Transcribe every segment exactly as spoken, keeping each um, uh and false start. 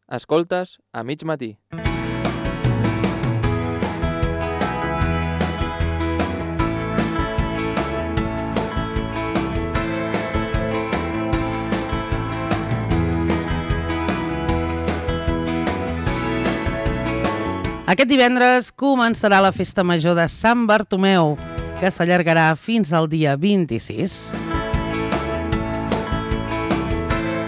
Escoltes a mig matí. Aquest divendres començarà la Festa Major de Sant Bartomeu, que s'allargarà fins al dia vint-i-sis.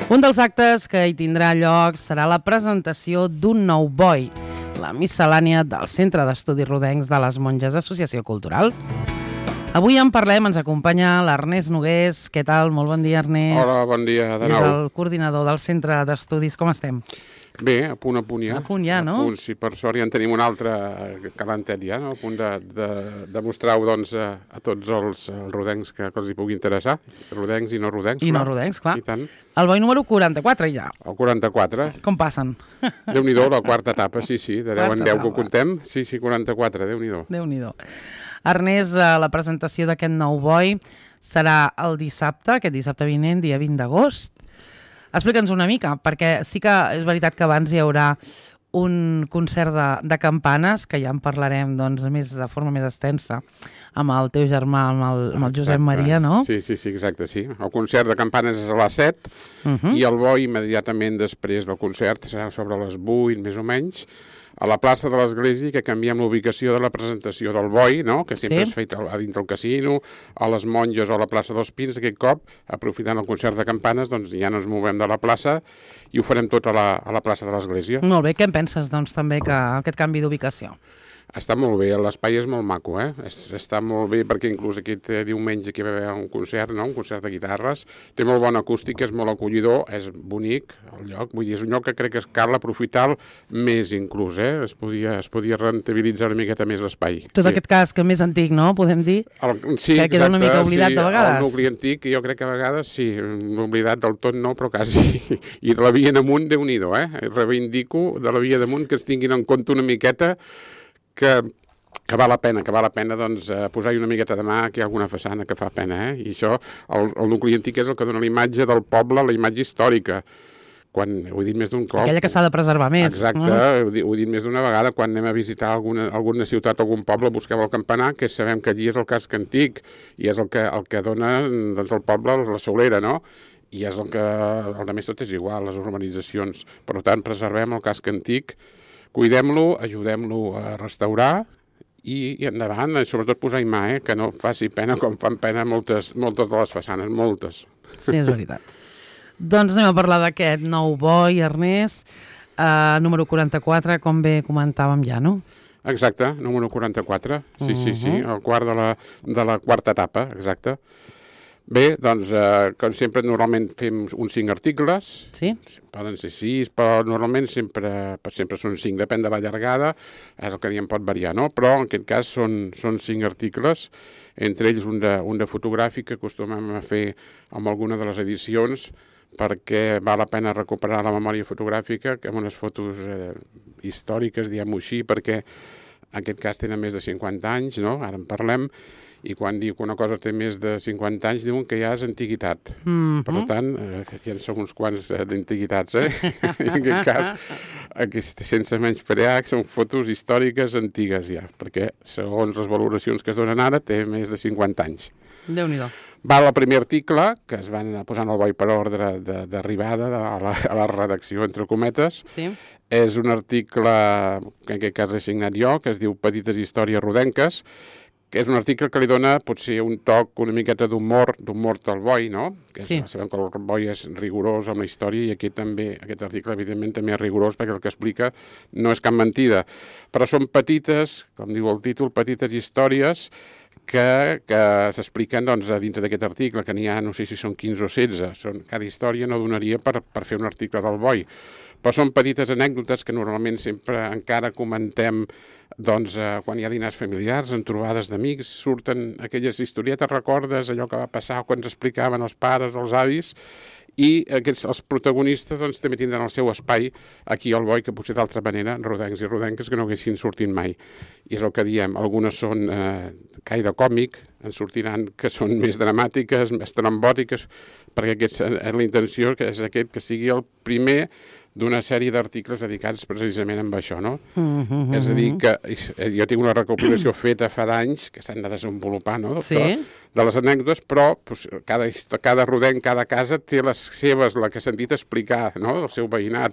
Un dels actes que hi tindrà lloc serà la presentació d'un nou boi, la miscel·lània del Centre d'Estudis Rodencs de les Monges Associació Cultural. Avui en parlem, ens acompanya l'Ernest Nogués. Què tal? Molt bon dia, Ernest. Hola, bon dia de nou. És el coordinador del Centre d'Estudis. Com estem? Bé, a punt a punt ja. A punt ja, no? A punt, sí, per sort ja en tenim un altre calentet ja, no? A punt de, de, de mostrar-ho doncs, a, a tots els, els rodencs que, que els hi pugui interessar. Rodencs i no rodencs, I clar. no rodencs, clar. I tant. El boi número quaranta-quatre ja. El quaranta-quatre. Com passen? Déu-n'hi-do, la quarta etapa, sí, sí, de deu en deu que ho etapa. contem. Sí, sí, quaranta-quatre, Déu-n'hi-do. Déu-n'hi-do. Ernest, la presentació d'aquest nou boi serà el dissabte, aquest dissabte vinent, dia vint d'agost. Explica'ns una mica, perquè sí que és veritat que abans hi haurà un concert de, de campanes, que ja en parlarem doncs, més de forma més extensa, amb el teu germà, amb el, amb el Josep Exacte. Maria, no? Sí, sí, sí, exacte, sí. El concert de campanes és a les set Uh -huh. i el boi immediatament després del concert serà sobre les vuit, més o menys, a la plaça de l'Església, que canviem l'ubicació de la presentació del boi, no? Que sempre Sí. és fet a dintre el casino, a les Monges o a la plaça dels Pins. Aquest cop, aprofitant el concert de campanes, doncs ja no ens movem de la plaça i ho farem tot a la, a la plaça de l'Església. Molt bé, què en penses doncs també que aquest canvi d'ubicació? Està molt bé, l'espai és molt maco, eh? Es, està molt bé perquè inclús aquest eh, diumenge que hi va haver un concert, no? Un concert de guitarres, té molt bona acústica, és molt acollidor, és bonic el lloc, vull dir, és un lloc que crec que cal aprofitar més inclús, eh? Es podia, es podia rentabilitzar una miqueta més l'espai. Tot sí. aquest casc més antic, no? Podem dir? El, sí, que queda una mica oblidat sí, de vegades. El nucli antic, jo crec que a vegades sí, oblidat del tot no, però quasi. I de la via damunt, Déu-n'hi-do, eh? Reivindico de la via damunt que es tinguin en compte una miqueta que... que val la pena, que val la pena doncs, eh, posar-hi una miqueta de mà, que hi ha alguna façana que fa pena, eh? I això, el, el nucli antic és el que dona la imatge del poble, la imatge històrica. Quan, ho he dit més d'un cop... Aquella que s'ha de preservar més. Exacte, No? ho, he, ho he dit més d'una vegada, quan anem a visitar alguna, alguna ciutat, algun poble, busquem el campanar, que sabem que allí és el casc antic, i és el que, el que dona doncs, al poble la solera, no? I és el que... El de més tot és igual, les urbanitzacions. Per tant, preservem el casc antic, cuidem-lo, ajudem-lo a restaurar, I, i endavant, i sobretot posar-hi mà, eh? Que no faci pena com fan pena moltes, moltes de les façanes, moltes. Sí, és veritat. Doncs anem a parlar d'aquest nou boi, Ernest, uh, número quaranta-quatre, com bé comentàvem ja, no? Exacte, número quaranta-quatre, sí, sí, sí, Uh-huh. el quart de la, de la quarta etapa, exacte. Bé, doncs, eh, com sempre, normalment fem uns cinc articles, Sí? poden ser sis, però normalment sempre, sempre són cinc, depèn de la llargada, és el que diem pot variar, no? Però en aquest cas són, són cinc articles, entre ells un de, un de fotogràfic que acostumem a fer amb alguna de les edicions, perquè val la pena recuperar la memòria fotogràfica, que amb unes fotos eh, històriques, diguem-ho així, perquè en aquest cas tenen més de cinquanta anys, no? Ara en parlem, i quan diu que una cosa té més de cinquanta anys diuen que ja és antiguitat. Mm-hmm. Per tant, eh, aquí en són uns quants eh, d'antiguitats, eh? En aquest cas, aquest, sense menysprear, són fotos històriques antigues ja, perquè segons les valoracions que es donen ara té més de cinquanta anys. Déu-n'hi-do. Va al primer article, que es van posant el boi per ordre d'arribada a, la, a la redacció, entre cometes. Sí? És un article que en aquest cas he signat jo, que es diu Petites històries rodenques, que és un article que li dona potser un toc una miqueta d'humor, d'humor del boi, no? Que és, Sí. Sabem que el boi és rigorós amb la història i aquí també, aquest article evidentment també és rigorós perquè el que explica no és cap mentida. Però són petites, com diu el títol, petites històries que, que s'expliquen doncs, a dintre d'aquest article, que n'hi ha, no sé si són quinze o setze. Són, cada història no donaria per, per fer un article del boi. Però són petites anècdotes que normalment sempre encara comentem doncs, eh, quan hi ha dinars familiars, en trobades d'amics, surten aquelles historietes, recordes allò que va passar quan ens explicaven els pares, els avis, i aquests, els protagonistes doncs, també tindran el seu espai aquí al boi, que potser d'altra manera, rodencs i rodenques que no haguessin sortit mai. I és el que diem, algunes són eh, caire còmic, en sortiran que són més dramàtiques, més trambòtiques, perquè aquesta és la intenció, que és aquest que sigui el primer d'una sèrie d'articles dedicats precisament a això, no? Mm -hmm. És a dir, que jo tinc una recopilació feta fa d'anys que s'han de desenvolupar, no? Sí. De, de les anècdotes, però pues, cada, cada rodenc, cada casa té les seves, la que he sentit explicar, no? Del seu veïnat,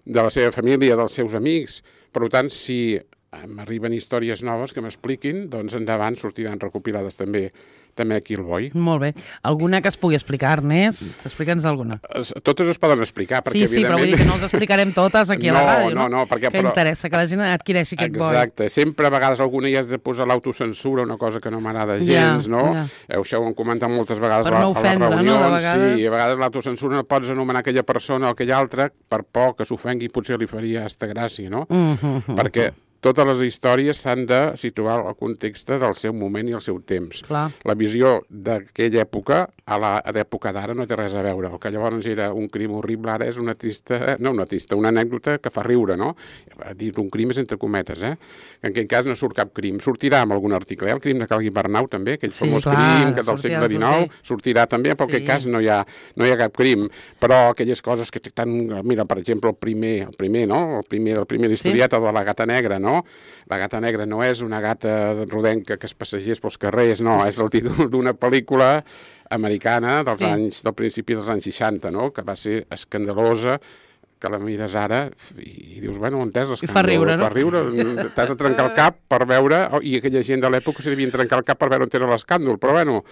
de la seva família, dels seus amics. Per tant, si m'arriben històries noves que m'expliquin, doncs endavant sortiran recopilades també també aquí al Boi. Molt bé. Alguna que es pugui explicar, Ernest? Explica'ns alguna. Totes es poden explicar, perquè sí, sí, evidentment... però vull dir que no els explicarem totes aquí a la no, ràdio, no? No, no, perquè... Que però... interessa que la gent adquireixi aquest Boi. Exacte. Sempre a vegades alguna hi has de posar l'autocensura, una cosa que no m'agrada gens, ja, no? Ja. Això ho hem comentat moltes vegades per a, no ofendre, a les reunions. No? De vegades... Sí, a vegades l'autocensura no pots anomenar aquella persona o aquella altra per por que s'ofengui, potser li faria esta gràcia, no? Mm -hmm. Perquè totes les històries s'han de situar al context del seu moment i el seu temps. Clar. La visió d'aquella època a l'època d'ara no té res a veure. El que llavors era un crim horrible ara és una trista, no una trista, una anècdota que fa riure, no? Dir un crim és entre cometes, eh? En aquell cas no surt cap crim. Sortirà amb algun article, eh? El crim de Cal Guibernau també, aquell sí, famós clar, crim que del segle dinou, sortirà també, però en sí. aquest cas no hi, ha, no hi ha cap crim. Però aquelles coses que tan... Mira, per exemple, el primer, el primer, no? El primer, el primer historieta sí. de la gata negra, no? La gata negra no és una gata rodenca que es passegés pels carrers, no, és el títol d'una pel·lícula americana dels sí. anys, del principi dels anys seixanta, no? Que va ser escandalosa, que la mires ara i, i dius, bueno, on és l'escàndol? Fa riure, no? Fa riure, t'has de trencar el cap per veure, oh, i aquella gent de l'època s'hi devien trencar el cap per veure on era l'escàndol, però bueno,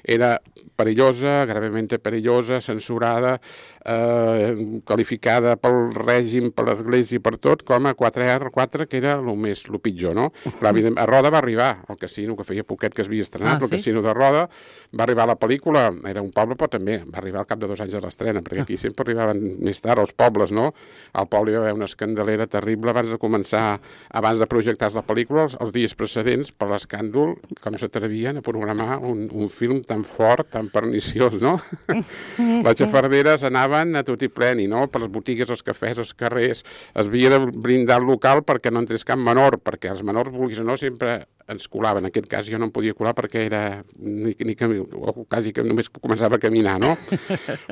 era perillosa, gravemente perillosa, censurada, eh, qualificada pel règim, per l'Església i per tot, com a quatre erre quatre, que era el més, el pitjor, no? Clar, a Roda va arribar, el casino, que feia poquet que es havia estrenat, ah, el sí? casino de Roda, va arribar a la pel·lícula, era un poble, però també va arribar al cap de dos anys de l'estrena, perquè aquí sempre arribaven més tard, els pobles, no? Al poble hi va haver una escandalera terrible abans de començar, abans de projectar la pel·lícula, els, els dies precedents, per l'escàndol, com s'atrevien a programar un, un film tan fort, tan perniciós, no? Les xafarderes anaven a tot i pleni, no? Per les botigues, els cafès, els carrers. Es havia de brindar el local perquè no entrés cap menor, perquè els menors, vulguis o no, sempre ens colaven. En aquest cas jo no em podia colar perquè era ni, ni camí, o quasi que només començava a caminar, no?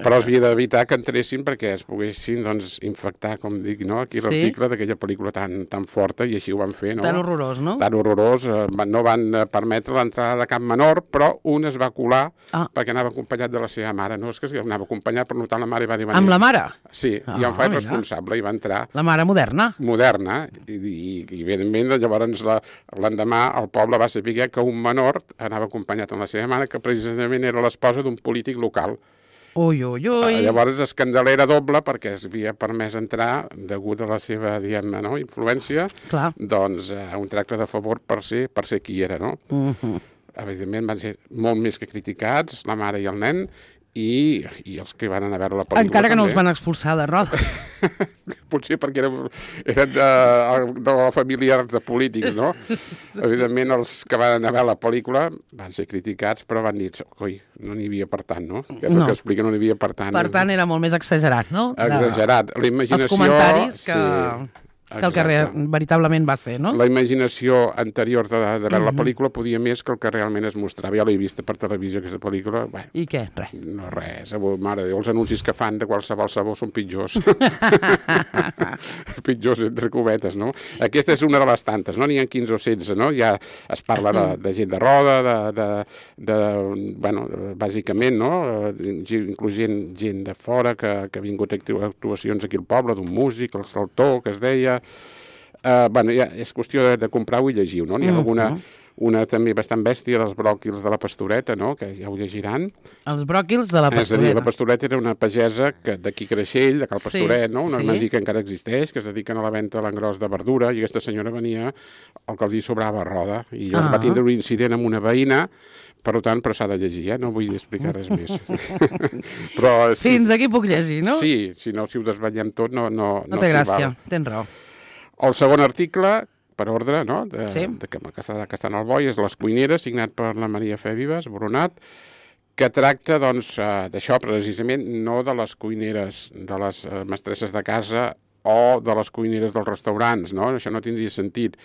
Però es havia d'evitar que entressin perquè es poguessin, doncs, infectar, com dic, no? Aquí sí? L'article d'aquella pel·lícula tan, tan forta, i així ho van fer, no? Tan horrorós, no? Tan horrorós. Eh, no van permetre l'entrada de cap menor, però un es va colar ah. perquè anava acompanyat de la seva mare. No és que anava acompanyat, per notar la mare i va dir... Amb la mare? Sí, ah, i em faig responsable i va entrar... La mare moderna? Moderna, i, i, i evidentment llavors l'endemà el poble va saber que un menor anava acompanyat amb la seva mare, que precisament era l'esposa d'un polític local. Ui, ui, ui. Llavors escandalera doble perquè es havia permès entrar degut a la seva, diguem-ne, no, influència, clar. Doncs uh, un tracte de favor per ser, per ser qui era, no? Uh -huh. Evidentment van ser molt més que criticats, la mare i el nen, i, i els que van anar a veure la pel·lícula encara que també. No els van expulsar de Roda. Potser perquè eren, eren de, de la família de polítics, no? Evidentment, els que van anar a veure la pel·lícula van ser criticats, però van dir, coi, no n'hi havia per tant, no? Que és no. el que explica, no n'hi havia per tant. Per tant, era molt més exagerat, no? Exagerat. La imaginació... Els comentaris que... Sí. que el que re, veritablement va ser, no? La imaginació anterior de, de veure uh -huh. la pel·lícula podia més que el que realment es mostrava. Ja l'he vista per televisió, aquesta pel·lícula. Bueno, I què? Res. No, res. Mare de Déu, els anuncis que fan de qualsevol sabor són pitjors. Pitjors, entre cometes, no? Aquesta és una de les tantes, no? N'hi ha quinze o setze, no? Ja es parla de, de gent de roda, de, de, de, bueno, bàsicament, no? Incluint gent de fora que, que ha vingut a actuacions aquí al poble, d'un músic, el Saltó, que es deia... Uh, bueno, ja és qüestió de, de comprar-ho i llegir-ho, no? N'hi ha uh -huh. alguna, una també bastant bèstia dels bròquils de la Pastoreta, no? Que ja ho llegiran. Els bròquils de la Pastoreta. És a dir, la Pastoreta era una pagesa que d'aquí Creixell, de Cal Pastoret, sí, no? Una sí. masia que encara existeix, que es dediquen a la venda a l'engròs de verdura, i aquesta senyora venia el que els hi sobrava a Roda, i llavors ah. va tindre un incident amb una veïna. Per tant, però s'ha de llegir, eh? No vull explicar res més. Però, sí, fins aquí puc llegir, no? Sí, si no, si ho desvetllem tot, no, no, no, no té gràcia, val. Tens raó. El segon article, per ordre, no? De, sí. de, que, que, està, que està en el Boi, és Les cuineres, signat per la Maria Fe Vives, Boronat, que tracta, doncs, d'això precisament, no de les cuineres, de les mestresses de casa o de les cuineres dels restaurants, no? Això no tindria sentit.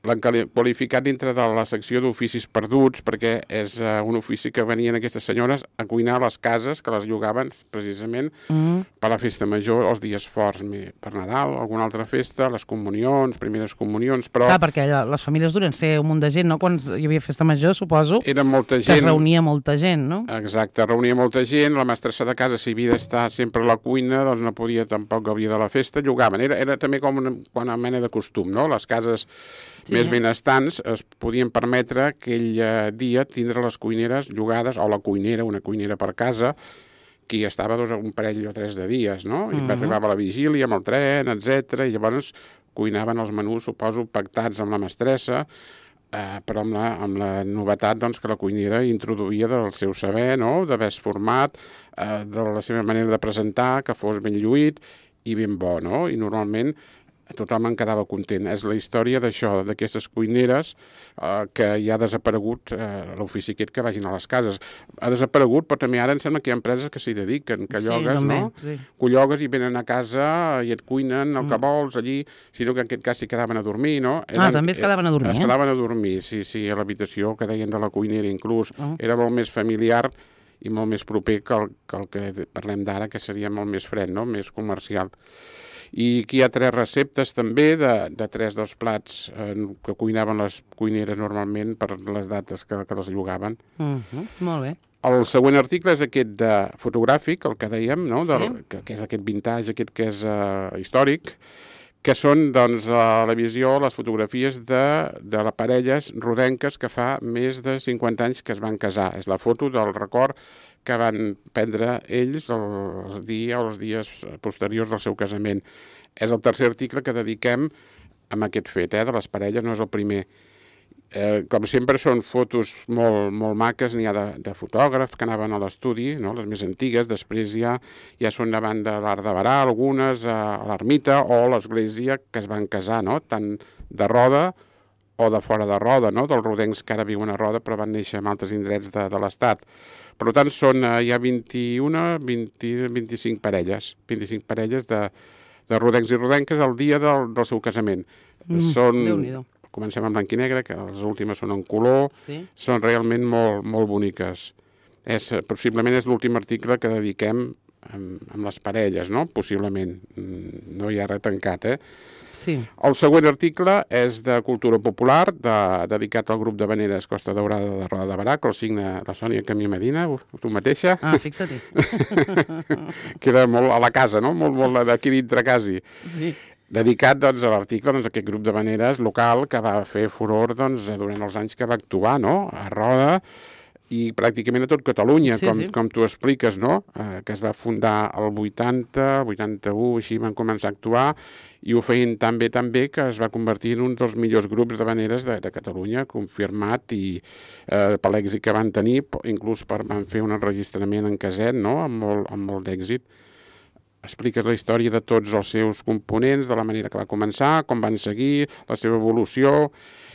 l'han qualificat dintre de la secció d'oficis perduts perquè és uh, un ofici que venien aquestes senyores a cuinar a les cases que les llogaven precisament mm. per la festa major, els dies forts, per Nadal, alguna altra festa, les comunions, primeres comunions, però... Clar, perquè les famílies duren ser un munt de gent, no? Quan hi havia festa major, suposo, era molta gent, que es reunia molta gent, no? Exacte, reunia molta gent, la mestressa de casa, si havia d'estar sempre a la cuina, doncs no podia tampoc gaudir de la festa, llogaven. Era, era també com una, una mena de costum, no? Les cases sí. més benestants es podien permetre aquell eh, dia tindre les cuineres llogades, o la cuinera, una cuinera per casa, que hi estava dos, un parell o tres de dies, no? I uh-huh. arribava la vigília amb el tren, etcètera, i llavors cuinaven els menús, suposo, pactats amb la mestressa, eh, però amb la, amb la novetat doncs, que la cuinera introduïa del seu saber, no? D'haver-se format, eh, de la seva manera de presentar, que fos ben lluït i ben bo, no? I normalment tothom en quedava content. És la història d'això, d'aquestes cuineres eh, que ja ha desaparegut eh, l'ofici aquest que vagin a les cases. Ha desaparegut, però també ara em sembla que hi ha empreses que s'hi dediquen, que llogues, sí, no? Sí. Que llogues i venen a casa i et cuinen el que mm. vols allí, sinó que en aquest cas s'hi quedaven a dormir, no? Eren, ah, també es quedaven a dormir, Es quedaven a dormir, sí, sí, a l'habitació que deien de la cuinera inclús. Oh. Era molt més familiar i molt més proper que el que, el que parlem d'ara, que seria molt més fred, no? Més comercial. I aquí hi ha tres receptes també de, de tres dels plats eh, que cuinaven les cuineres normalment per les dates que, que les llogaven. Uh-huh. Molt bé. El següent article és aquest de fotogràfic, el que dèiem, no? Del, sí. que, que és aquest vintage, aquest que és uh, històric, que són doncs, a la visió les fotografies de, de les parelles rodenques que fa més de cinquanta anys que es van casar. És la foto del record que van prendre ells els dies o els dies posteriors al seu casament. És el tercer article que dediquem a aquest fet, eh, de les parelles, no és el primer. Eh, com sempre són fotos molt, molt maques, n'hi ha de, de fotògrafs que anaven a l'estudi, no? Les més antigues, després ja, ja són davant de l'Arc de Berà, algunes a, a l'ermita o a l'església que es van casar, no? Tant de Roda o de fora de Roda, no? Dels rodencs que ara viuen a Roda però van néixer en altres indrets de, de l'Estat. Per tant, són, eh, hi ha vint-i-una, vint, vint-i-cinc parelles, vint-i-cinc parelles de, de rodencs i rodenques al dia del, del seu casament. Mm, són, Déu-n'hi-do. Comencem en blanc i negre, que les últimes són en color, sí. Són realment molt, molt boniques. És, possiblement és l'últim article que dediquem amb, amb les parelles, no? Possiblement. No hi ha res tancat, eh? Sí. El següent article és de cultura popular, de, dedicat al grup de veneres Costa Daurada de Roda de Berà, que el signa la Sònia Camí Medina, tu mateixa. Ah, fixa-t'hi. Queda molt a la casa, no? Molt, molt d'aquí dintre quasi. Sí. Dedicat doncs, a l'article doncs, a aquest grup de veneres local que va fer furor doncs, durant els anys que va actuar, no? A Roda i pràcticament a tot Catalunya, sí, com, sí. com tu expliques, no? Eh, que es va fundar el vuitanta, vuitanta-u, així van començar a actuar i ho feien tan bé, tan bé que es va convertir en un dels millors grups de veneres de, de Catalunya, confirmat i eh, per l'èxit que van tenir, inclús per, van fer un enregistrament en caset, no? Amb molt, amb molt d'èxit. Expliques la història de tots els seus components, de la manera que va començar, com van seguir, la seva evolució,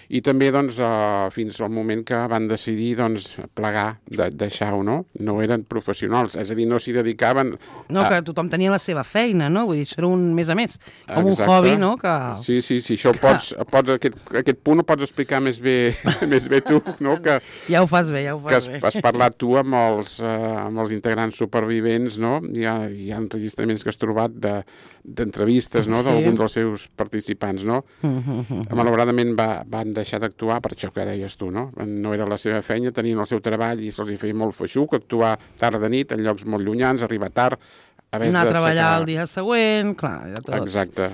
i també doncs, eh, fins al moment que van decidir doncs, plegar, de, deixar-ho, no? No eren professionals, és a dir, no s'hi dedicaven... No, a... que tothom tenia la seva feina, no? Vull dir, això era un més a més, com Exacte. Un hobby, no? Que... Sí, sí, sí, això pots, pots, aquest, aquest punt ho pots explicar més bé, més bé tu, no? Que, ja ho fas bé, ja ho fas bé. Que has parlat tu amb els, eh, amb els integrants supervivents, no? Hi ha, hi ha enregistraments que has trobat de d'entrevistes, no? Sí. D'alguns dels seus participants, no? Uh-huh. Malauradament va, van deixar d'actuar per això que deies tu, no? No era la seva feina, tenien el seu treball i se'ls feia molt feixuc, actuar tard de nit en llocs molt llunyans, arribar tard, haver anar a treballar el dia següent, clar, ja tot. Exacte.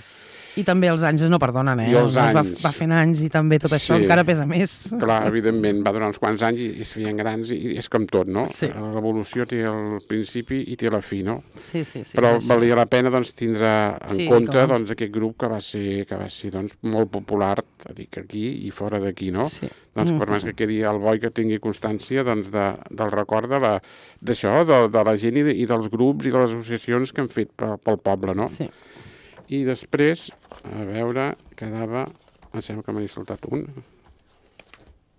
I també els anys no perdonen, eh? I els anys. Va, va fent anys i també tot això sí. Encara pesa més. Clar, evidentment, va durar uns quants anys i, i es feien grans i és com tot, no? Sí. L'evolució té el principi i té la fi, no? Sí, sí, sí. Però valia la pena doncs, tindre en sí, compte com? doncs, aquest grup que va ser, que va ser doncs, molt popular, dic aquí i fora d'aquí, no? Sí. Doncs per més que quedi el boi que tingui constància doncs, de, del record d'això, de, de, de la gent i, de, i dels grups i de les associacions que han fet pel, pel poble, no? Sí. I després, a veure, quedava... Em sembla que m'he saltat un.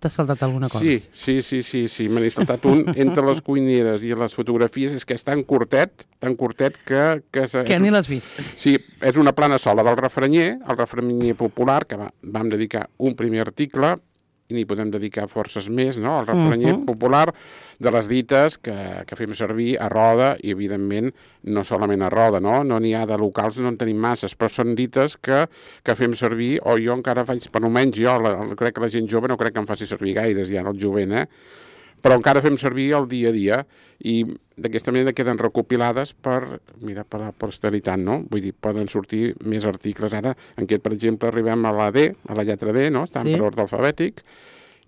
t'has saltat alguna cosa. Sí, sí, sí, sí, sí. me n'he saltat un. Entre les cuineres i les fotografies és que és tan curtet, tan curtet que... Que, que ni l'has vist. Sí, és una plana sola del refranyer, el refranyer popular, que va, vam dedicar un primer article, i n'hi podem dedicar forces més, no? El refranyer uh -huh. popular de les dites que, que fem servir a roda i, evidentment, no solament a roda, no? No n'hi ha de locals, no en tenim masses, però són dites que, que fem servir, o jo encara faig, per almenys jo, la, crec que la gent jove no crec que em faci servir gaires ja, el jovent, eh? Però encara fem servir el dia a dia i d'aquesta manera queden recopilades per, mira, per la posteritat, no? Vull dir, poden sortir més articles. Ara, en aquest, per exemple, arribem a la D, a la lletra D, no? Estan sí. per ordre alfabètic,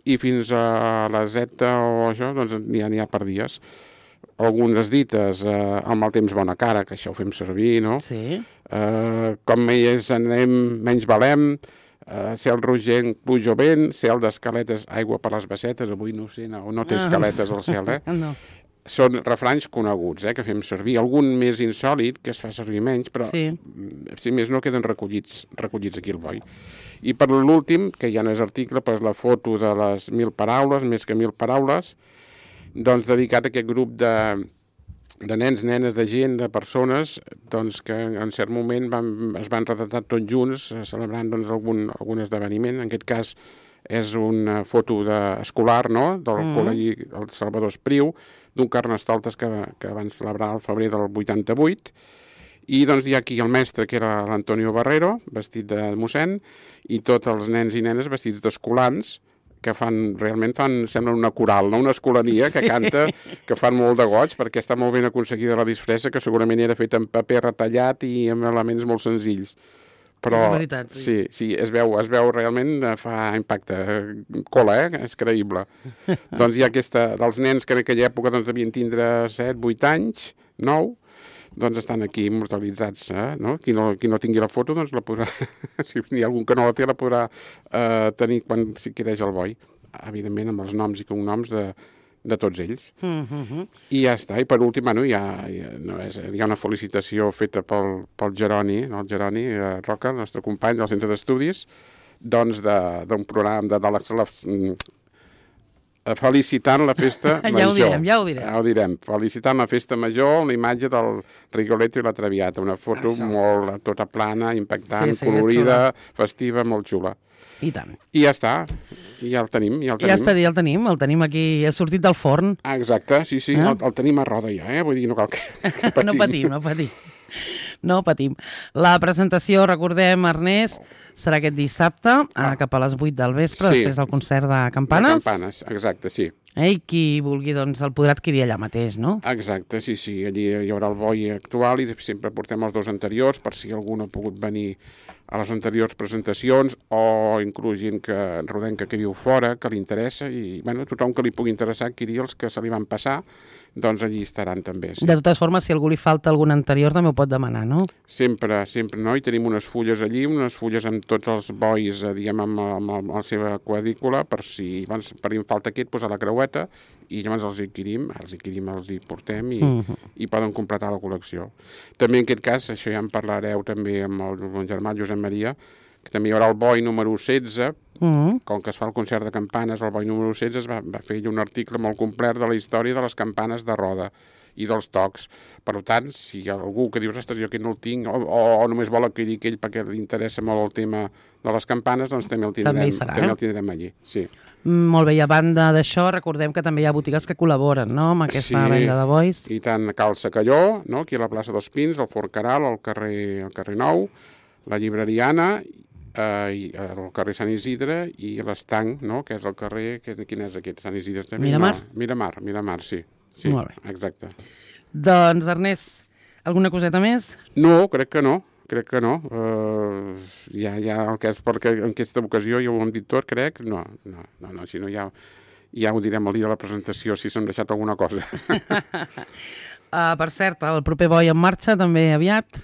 i fins a la Z o això, doncs n'hi ha, n'hi ha per dies. Algunes dites, eh, el mal temps bona cara, que això ho fem servir, no? Sí. Eh, com més anem, menys valem, Uh, cel rogent, pluja o vent, cel d'escaletes, aigua per les bassetes, avui no sé, no, no té escaletes al cel, eh? No. Són refranys coneguts, eh, que fem servir. Algun més insòlid, que es fa servir menys, però sí. si més no queden recollits, recollits aquí al boi. I per l'últim, que ja no és article, però és la foto de les mil paraules, més que mil paraules, doncs dedicat a aquest grup de... de nens, nenes, de gent, de persones, doncs que en cert moment van, es van retratar tots junts celebrant doncs, algun, algun esdeveniment. En aquest cas és una foto de, escolar, no?, del mm. col·legi el Salvador Espriu, d'un Carnestoltes que, que van celebrar al febrer del vuitanta-vuit. I doncs hi ha aquí el mestre, que era l'Antonio Barrero, vestit de mossèn, i tots els nens i nenes vestits d'escolans, que fan, realment fan, sembla una coral, no? Una escolania que canta, que fan molt de goig, perquè està molt ben aconseguida la disfressa, que segurament era feta en paper retallat i amb elements molt senzills. Però, és veritat, sí. Sí, sí, es veu, es veu realment, fa impacte, cola, eh? És creïble. Doncs hi ha aquesta, dels nens que en aquella època doncs, devien tindre set, vuit anys, nou, doncs estan aquí immortalitzats, eh? No? Qui no, qui no tingui la foto, doncs la podrà, si hi ha algun que no la té, la podrà eh, tenir quan s'hi quedeix el boi, evidentment amb els noms i cognoms de, de tots ells. Mm-hmm. I ja està. I per últim, bueno, hi, ha, hi, ha, no és, hi ha una felicitació feta pel, pel Jeroni, no? El Jeroni eh, Roca, el nostre company del centre d'estudis, doncs d'un programa de, de les... les felicitant la festa ja major. Ho direm, ja ho direm. Ja ho direm. Felicitant la festa major, la imatge del Rigoletto i la Traviata. Una foto Això. molt, tota plana, impactant, sí, sí, colorida, festiva, molt xula. I tant. I ja està. I ja el tenim. Ja el tenim, ja, està, ja el tenim. El tenim aquí, ha sortit del forn. Ah, exacte, sí, sí. Eh? El, el tenim a roda ja, eh? Vull dir, no cal que, que patim. No patim, no patim. No patim. La presentació, recordem, Ernest, serà aquest dissabte, ah. cap a les vuit del vespre, sí. després del concert de campanes. De campanes, exacte, sí. Eh, I qui vulgui, doncs, el podrà adquirir allà mateix, no? Exacte, sí, sí. Allí hi haurà el boi actual i sempre portem els dos anteriors per si algú no ha pogut venir a les anteriors presentacions o inclús gent que rodenca que viu fora, que li interessa i, bueno, tothom que li pugui interessar adquirir els que se li van passar, doncs allí estaran també. Sí. De totes formes, si algú li falta algun anterior també ho pot demanar, no? Sempre, sempre, no? I tenim unes fulles allí, unes fulles amb tots els bois, diguem, amb, amb, amb la seva quadrícula, per si abans, per si falta aquest, doncs a la creueta, i llavors els adquirim, els adquirim, els hi portem i, uh-huh. i poden completar la col·lecció. També en aquest cas, això ja en parlareu també amb el, amb el germà Josep Maria, que també hi haurà el boi número setze, uh-huh. com que es fa el concert de campanes, el boi número setze es va, va fer un article molt complet de la història de les campanes de roda i dels tocs. Per tant, si hi ha algú que dius, ostres, jo aquest no el tinc, o, o, o només vol adquirir aquell perquè li interessa molt el tema de les campanes, doncs també el tindrem, també serà, també eh? el tindrem allí. Sí. Molt bé, i a banda d'això, recordem que també hi ha botigues que col·laboren, no?, amb aquesta sí, venda de bois. I tant Cal Sacalló, no?, aquí a la plaça dels Pins, el Fort Caral, al carrer, al carrer Nou, la llibreriana, eh, i el carrer Sant Isidre i l'Estanc, no?, que és el carrer... Que, quin és aquest? Sant Isidre també? Miramar? No, Miramar, Miramar, sí. Sí, molt bé. Exacte. Doncs, Ernest, alguna coseta més? No, crec que no. Crec que no. Uh, ja, ja el que és perquè en aquesta ocasió ja ho hem dit tot, crec. No, no, no, no si no ja, ja ho direm el dia de la presentació, si s'han deixat alguna cosa. uh, per cert, el proper boi en marxa també aviat.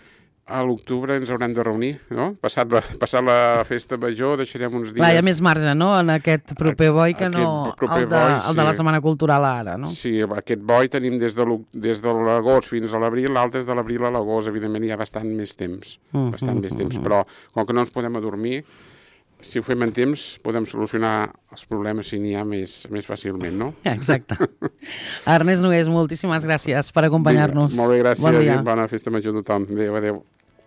A l'octubre ens haurem de reunir, no? Passat la, passat la festa major deixarem uns dies... Clar, hi ha més marge, no?, en aquest proper boi que no el de, boi, sí. el de la Setmana Cultural ara, no? Sí, aquest boi tenim des de l'agost fins a l'abril, l'altre és de l'abril a l'agost, evidentment hi ha bastant més temps, mm, bastant mm, més temps, mm, però com que no ens podem adormir, si ho fem en temps, podem solucionar els problemes si n'hi ha més, més fàcilment, no? Exacte. Ernest Nogués, moltíssimes gràcies per acompanyar-nos. Molt bé, gràcies bon dia. i bona festa major a tothom. Adéu, adéu.